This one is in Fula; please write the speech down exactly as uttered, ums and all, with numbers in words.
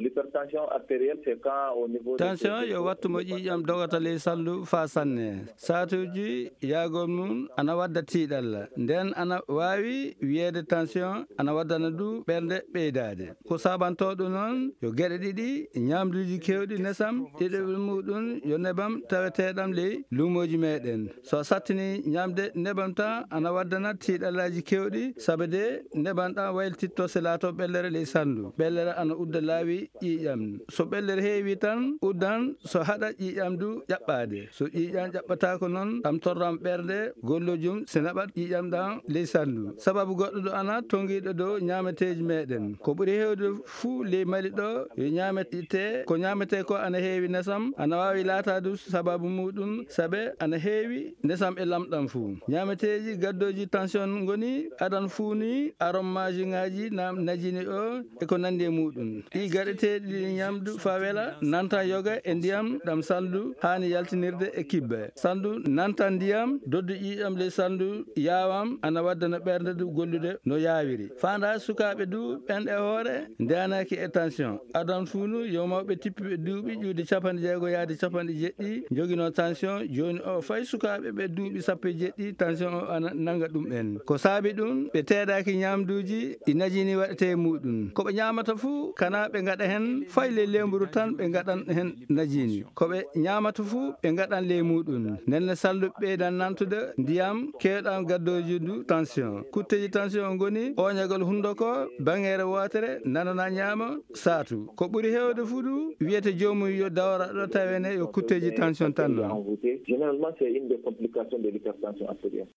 L'hypertension artérielle, c'est quand au niveau des tension yo wattu mo ƴiiƴam dogata ley salndu faa sanne. Saatuuji yaagol mum ana wadda tiiɗalla. Nden ana waawi wiyeede tension ana waddana du ɓernde ɓeydaade. Ko saabantoo ɗum noon yo geɗe ɗiɗi, ñaamduuji keewɗi nesam, ɗiɗaɓel muuɗum yo nebam taweteeɗam ley luumooji meeɗen. So a sattinii ñaamde nebam tan ana waddana tiiɗallaaji keewɗi, sabe de nebam ɗam waylititto se laatoo ɓellere ley salndu. Ɓellere ana udda laawi ƴiiƴam. So ɓellere heewi tan uddan so haɗa ƴiiƴam du ƴaɓɓaade. So ƴiiƴam ƴaɓɓataako noon ɗam torram ɓernde gollojum se naɓat ƴiiƴam ɗam ley salndu. Sababu goɗɗo ɗo ana tongiiɗo dow ñaameteeji meeɗen. Ko ɓuri heewde fuu ley Mali ɗo yo ñaametee, ko ñaametee ko ana heewi nesam, ana waawi laataade sababu muuɗum sabe ana heewi nesam e lamɗam fuu. Ñaameteeji gaddooji tension ngoni adan fuuni, arommajiŋaaji, na-, najini o e ko nanndi e muuɗum. Ɗi gaɗeteeɗi ɗi ñamdu faa wela, nanta yoga e ndiyam ɗam salndu haani yaltinirde e kibbe. Salndu nanta ndiyam, doddu ƴiiƴam ley salndu yaawam, ana waddana ɓernde du gollude no yaawiri. Faandaa sukaaɓe du ɓen e hoore ndeenaaki e tension. Adan fuunu yo mawɓe tippuɓe duuɓi ƴuude capanɗe jeego yaade capanɗe jeɗɗi njoginoo tension, jooni o fay sukaaɓe ɓe duuɓi sappo e jeɗɗi tension o ana nannga ɗum en. Ko saabi ɗum ɓe teedaaki ñaamduuji ɗi najini waɗetee e muuɗum. Ko ɓe ñaamata fuu kana ɓe ngaɗa heen fay ley leemburu tan ɓe ngaɗan heen najini. Ko ɓe ñaamata fuu ɓe ngaɗan ley muuɗum. Nden ne salndu ɓeydan nantude ndiyam keewɗam gaddooji du tension. Kutteeji tension ngoni ooñagol hunndoko, baŋŋeere wootere, nanana ñaama, saatu. Ko ɓuri heewde fuu du wiyete joomum yo dawra ɗo tawene yo kutteeji tension tan noon. Envoûté. Généralement, c'est une des complications de l'hypertension artérielle.